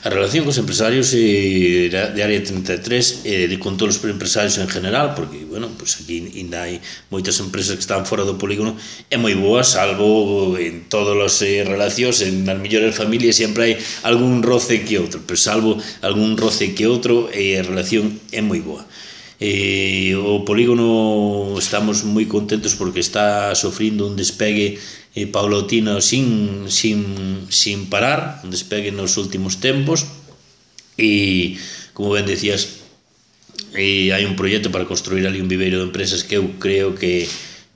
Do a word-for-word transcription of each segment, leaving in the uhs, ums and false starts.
A relación cos empresarios eh, de Área trinta e tres e eh, con todos os empresarios en general, porque, bueno, pues aquí ainda hai moitas empresas que están fora do polígono, é moi boa, salvo en todas as eh, relacións, en as mellores familias sempre hai algún roce que outro, pero salvo algún roce que outro, eh, a relación é moi boa. Eh, o polígono estamos moi contentos porque está sofrindo un despegue eh, paulatino sin, sin, sin parar, un despegue nos últimos tempos e, como ben decías, eh, hai un proxecto para construir ali un viveiro de empresas que eu creo que,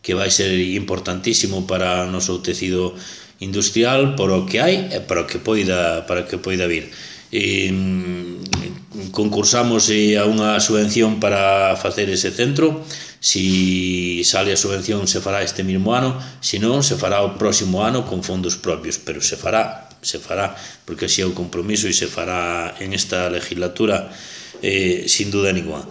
que vai ser importantísimo para o noso tecido industrial, por o que hai e para o que poida, para o que poida vir. Eh, concursamos a unha subvención para facer ese centro. Si sale a subvención se fará este mesmo ano, se non se fará o próximo ano con fondos propios, pero se fará, se fará porque así é o compromiso e se fará en esta legislatura eh, sin duda ninguna.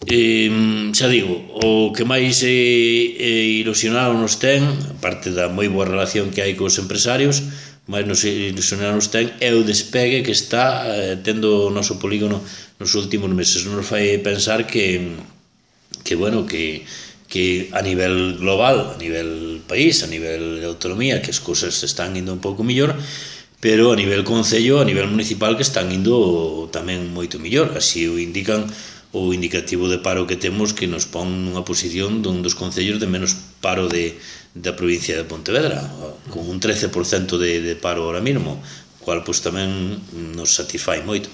Eh, xa digo, o que máis eh, eh, ilusionado nos ten, aparte da moi boa relación que hai cos empresarios, máis nos ilusionar nos ten é o despegue que está eh, tendo o noso polígono nos últimos meses. Nos fai pensar que que, bueno, que, que a nivel global, a nivel país, a nivel de autonomía, que as cousas están indo un pouco millor, pero a nivel concello, a nivel municipal, que están indo tamén moito millor. Así o indican o indicativo de paro que temos, que nos pon nunha posición dun dos concellos de menos paro de, da provincia de Pontevedra, con un trece por cento de, de paro ahora mismo, cual pues tamén nos satisfai moito.